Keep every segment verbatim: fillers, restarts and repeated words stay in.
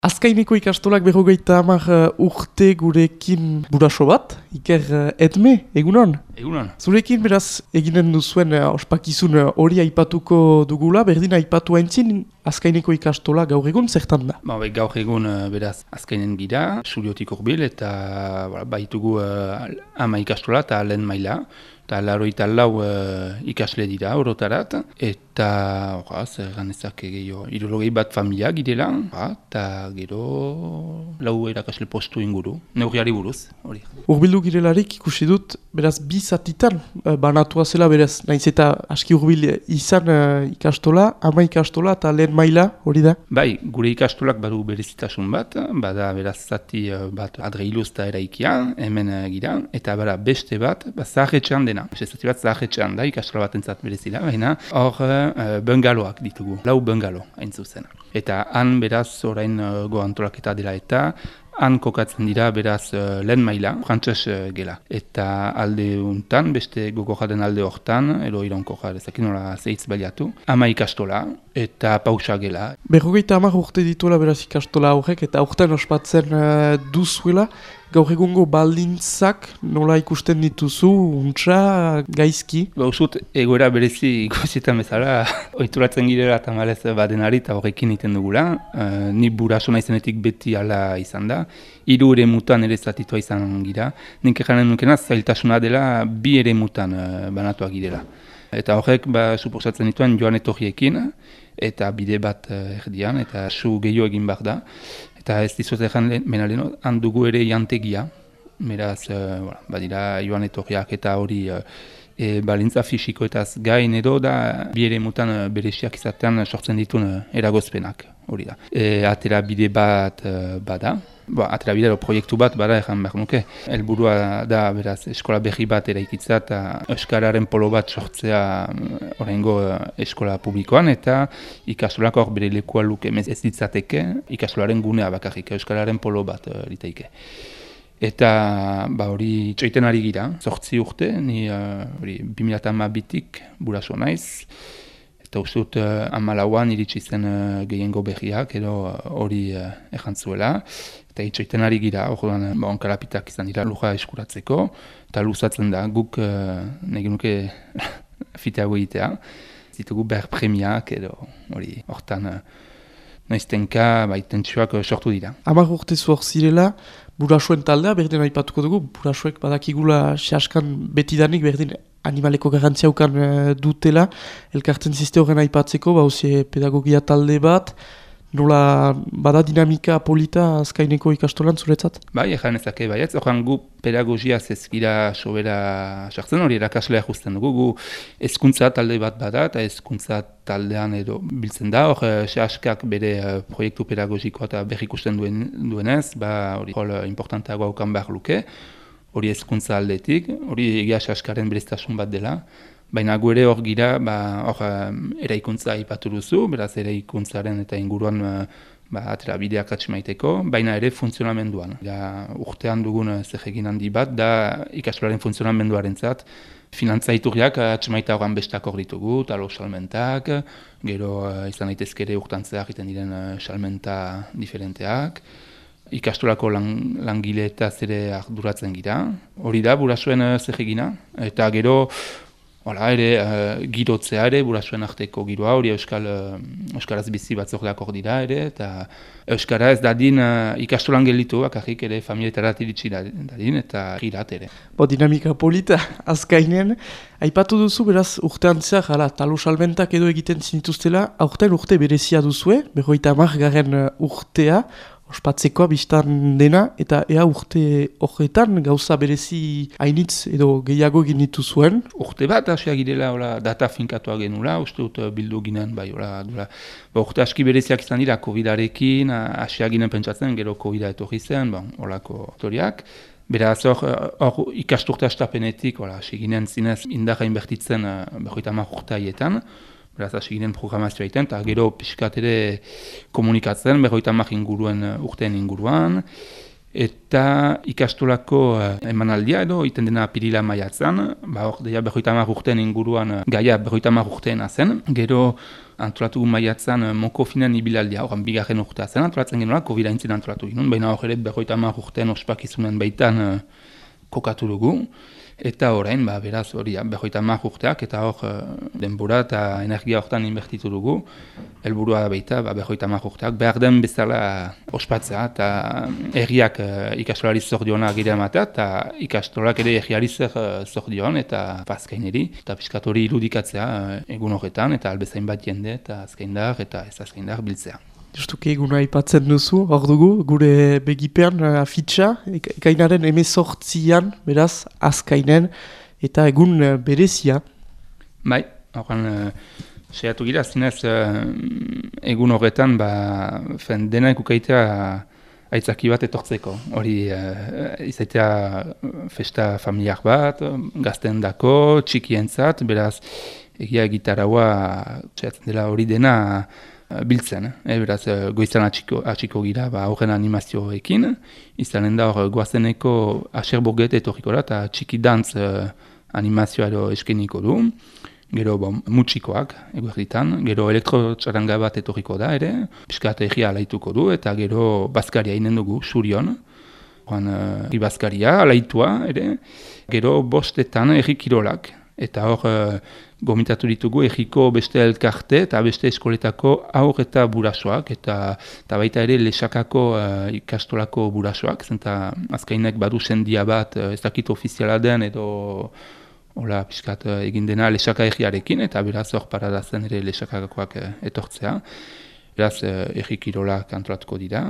Azkaineko ikastolak berrogeita hamar uh, urte gurekin buraso bat, Iker uh, Edme, egunon? Egunon. Zurekin beraz eginen duzuen uh, ospakizun hori uh, aipatuko dugula, berdin aipatu haintzin Azkaineko ikastola gaur egun zertan da? Ba, bai, gaur egun uh, beraz Azkainen gira, Suriotik hurbil eta voilà, baitugu uh, ama ikastola eta lehen maila. Eta laroita lau uh, ikasle dira orotarat, eta orra, zer ganezak gehiago, irologei bat familia girela, eta gero lau erakasle postu inguru, neurriari buruz, hori. Urbildu girelarik ikusi dut, beraz bi zatitan uh, banatua zela beraz, naiz eta aski urbil izan uh, ikastola, ama ikastola eta lehen maila, hori da? Bai, gure ikastolak badu berezitasun bat, bada beraz zati uh, bat adreiluzta eraikia, hemen uh, gira, eta bada beste bat, ba, zaharretxean dena. Zati bat zaharretxean da, ikastola bat entzat berezila, baina hor uh, bungaloak ditugu, lau bungalo hain zuzen. Eta han beraz orain uh, goantolaketa dela eta han kokatzen dira beraz uh, lehen maila, frantses uh, gela. Eta alde untan, beste goko jaden alde hortan, ero ironko jade, zakin nola zeitz baliatu, ama ikastola eta pausa gela. Berrogeita hamar urte dituela beraz ikastola horrek eta aurten ospatzen uh, duzuela, gaur egungo baldintzak nola ikusten dituzu, untsa, gaizki? Ba, usut, egoera berezi ikusietan bezala, oituratzen girela eta malez badenari eta horrekin iten dugula. Uh, ni buraso naizenetik beti ala izan da. Hiru ere mutan ere zatitua izan gira. Nik eganen nukena zailtasuna dela bi ere mutan uh, banatuak girela. Eta horrek, ba, suposatzen dituen joan etorriekin, eta bide bat uh, erdian, eta su gehiago egin behar da. Eta ez dizut egan menaleno, handugu ere jantegia, beraz, uh, voilà, badira joan etorriak eta hori uh, e, balintza fisikoetaz gain edo da bi ere mutan uh, bereziak izatean sortzen dituen uh, eragozpenak, hori da. E, atera bide bat uh, bada, ba, atera bide proiektu bat bada egan behar nuke. Helburua da, beraz, eskola berri bat eraikitza eta euskararen polo bat sortzea oraingo uh, eskola publikoan eta ikastolak hor bere lekua luke ez ditzateke ikastolaren gunea bakarrik, euskararen polo bat uh, liteike. Eta ba, hori txoiten ari gira, zortzi urte, ni uh, bi mila hamabitik buraso naiz. Eta uste dut uh, hamalauan iritsi zen uh, gehiengo berriak edo hori uh, uh, ejantzuela. Eta itxoiten ari gira, hori uh, ba, onkarapitak izan dira luja eskuratzeko. Eta luzatzen da, guk uh, nege nuke fiteago egitea. Zitugu behar premiak edo hori hortan uh, noiztenka ba, itentsuak uh, sortu dira. Hamar urte zuhor zirela, burasoen taldea, berdin aipatuko dugu, burasoek badakigula sehaskan betidanik, berdin animaleko garrantziaukan uh, dutela, elkartzen ziste horren aipatzeko, bauzie pedagogia talde bat, nola bada dinamika polita Azkaineko ikastolan zuretzat? Bai, egan ezake baietz, horren gu pedagogia zezkira sobera sartzen, hori erakaslea justen dugu, gu hezkuntza talde bat bada, eta hezkuntza taldean edo biltzen da, hor sehaskak bere uh, proiektu pedagogikoa eta berrikusten duen, duenez, ba, hori hol importanteago haukan behar luke, hori hezkuntza aldetik, hori egia sehaskaren bereztasun bat dela, baina gu ere hor gira, ba, hor um, eraikuntza aipatu duzu, beraz eraikuntzaren eta inguruan uh, ba, atera bideak atxemaiteko, baina ere funtzionamenduan. Da, urtean dugun uh, zer egin handi bat, da ikastolaren funtzionamenduaren zat, finantza iturriak atxemaita horan bestak hor ditugu, talo salmentak, gero uh, izan daitezkere urtantzeak egiten diren uh, salmenta diferenteak, ikastolako lang, langileetaz ere arduratzen gira. Hori da, burasoen uh, zer egina, eta gero Hala ere, uh, girotzea ere, burasuen arteko giroa, hori euskal, uh, euskaraz bizi batzordeak hor dira ere, eta euskara ez dadin uh, ikastolan gelitu, bakarrik ere familietarat iritsi dadin, eta girat ere. Bo, dinamika polita, Azkainen, aipatu duzu, beraz, urtean zehar, hala, talo salmentak edo egiten zinituztela, aurten urte berezia duzue, berroita hamar garen urtea, ospatzekoa biztan dena, eta ea urte horretan gauza berezi hainitz edo gehiago ginitu zuen. Urte bat hasia girela ola, data finkatoa genula, uste dut bildu ginen, bai, ola, dula. Ba, urte aski bereziak izan dira, covidarekin, hasia ginen pentsatzen, gero covida etorri zen, ba, olako historiak. Beraz, hor, hor ikasturte astapenetik, hasi ginen zinez indarra inbertitzen berroita hamar urte haietan. Beraz, hasi ginen programazioa egiten, eta gero pixkat ere komunikatzen, berroita hamar inguruen urteen inguruan. Eta ikastolako uh, emanaldia edo, iten dena apirila maiatzan, ba hor, deia berroita hamar urteen inguruan, uh, gaia berroita hamar urteena zen, gero antolatu maiatzan uh, Mokofinen ibilaldia, horan bigarren urtea zen, antolatzen genuela, COVID aintzin antolatu ginen, baina hor ere berroita hamar urteen ospakizunen baitan uh, kokatu dugu. Eta orain, ba, beraz, hori, berroita hamar urteak, eta hor denbora eta energia hortan inbertitu dugu. Helburua baita, ba, berroita hamar urteak, behar den bezala ospatzea, eta herriak uh, ikastolari zor diona gira ematea, eta ikastolak ere herriari zer uh, zor dion, eta azkaineri, eta piskat hori irudikatzea uh, egun horretan, eta albezain bat jende, eta azkaindar, eta ez azkaindar biltzea. Justuki eguna aipatzen duzu, hor dugu, gure begipean uh, afitxa, ekainaren emezortzian, beraz, azkainen, eta egun uh, berezia. Bai, horren, uh, seiatu gira, zinez, uh, egun horretan, ba, fen, dena ekukaitea aitzaki bat etortzeko. Hori, uh, izaitea festa familiar bat, gazten dako, txikientzat, beraz, egia gitaraua, seiatzen dela hori dena, biltzen, eh? Beraz, goizan atxiko, atxiko gira ba, horren animazioekin, izanen da hor goazeneko aserboget etorriko da, eta txiki dantz eh, animazioa edo eskeniko du, gero bon, mutxikoak eguerditan, gero elektrotxaranga bat etorriko da ere, piskat egia alaituko du, eta gero bazkaria inen dugu, surion, horren uh, bazkaria alaitua ere, gero bostetan erri kirolak, eta hor uh, gomitatu ditugu egiko beste elkarte eta beste eskoletako aur eta burasoak, eta, eta baita ere lesakako uh, ikastolako burasoak, zenta azkainek badu sendia bat, uh, ez dakit ofiziala den edo hola piskat uh, egin dena lesaka egiarekin, eta beraz hor paradazen ere lesakakoak uh, etortzea. Beraz uh, egikirolak antolatuko dira,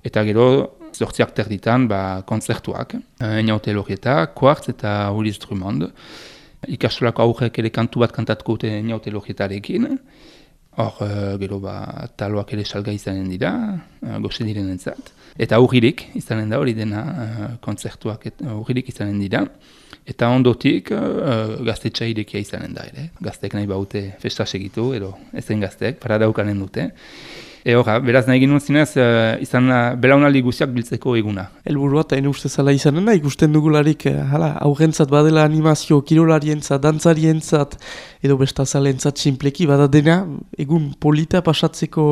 eta gero zortziak terditan ba, kontzertuak, uh, Einaute Lorrieta, Quartz eta Ulis Drummond. Ikastolako aurrek ere kantu bat kantatuko dute Einaute Lorrietarekin. Hor, uh, gero ba, taloak ere salga izanen dira, uh, goxe diren entzat. Eta aurririk izanen da hori dena, uh, kontzertuak aurririk izanen dira. Eta ondotik uh, gaztetxa irekia izanen da ere. Gazteek nahi baute festa segitu, edo ezen gazteek, paradaukanen dute. E horra, beraz nahi ginen zinez, uh, izan uh, belaunaldi guztiak biltzeko eguna. Helburua eta ene uste zala izanen da, ikusten dugularik uh, hala, aurrentzat badela animazio, kirolarientzat, dantzarientzat, edo bestazalentzat sinpleki, bada dena, egun polita pasatzeko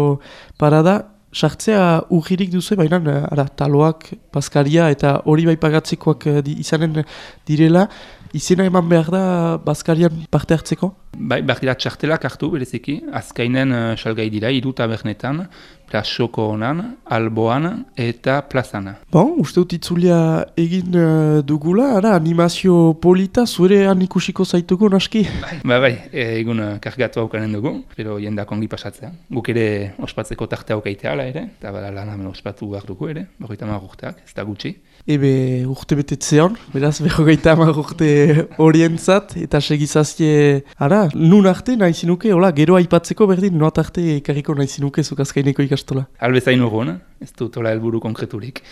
parada, sartzea urgirik duzu, baina ara, taloak, bazkaria eta hori bai pagatzekoak uh, di, izanen direla, izena eman behar da bazkarian parte hartzeko? Bai, behar dira txartelak hartu bereziki, azkainen uh, salgai dira, hiru tabernetan, Plasoko honan, Alboan eta Plazana. Bon, uste dut itzulia egin uh, dugula, ara, animazio polita, zure han ikusiko zaituko naski? Bai, bai, bai, egun uh, kargatu haukanen dugu, pero jendak ongi pasatzea. Guk ere ospatzeko tarte haukaitea ala ere, eta bada lan hamen ospatu behar dugu ere, berrogeita hamar urteak, ez da gutxi. Ebe urte betetzean, beraz berrogeita hamar urte horientzat, eta segizazie, ara, nun arte nahi zinuke, hola, gero aipatzeko berdin, noat arte ekarriko nahi zinuke zuk azkaineko ikastola. Albezain urgun, ez dut hola helburu konkreturik.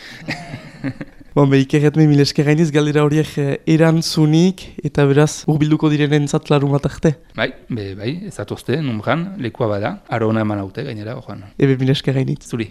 Bon, be, ikerretme mil eskerrainiz galdera horiek erantzunik, eta beraz, urbilduko direnen zat larumat arte. Bai, be, bai, ez atozte, numbran, lekua bada, arona eman haute gainera, ojoan. Ebe mil eskerrainiz. Zuri.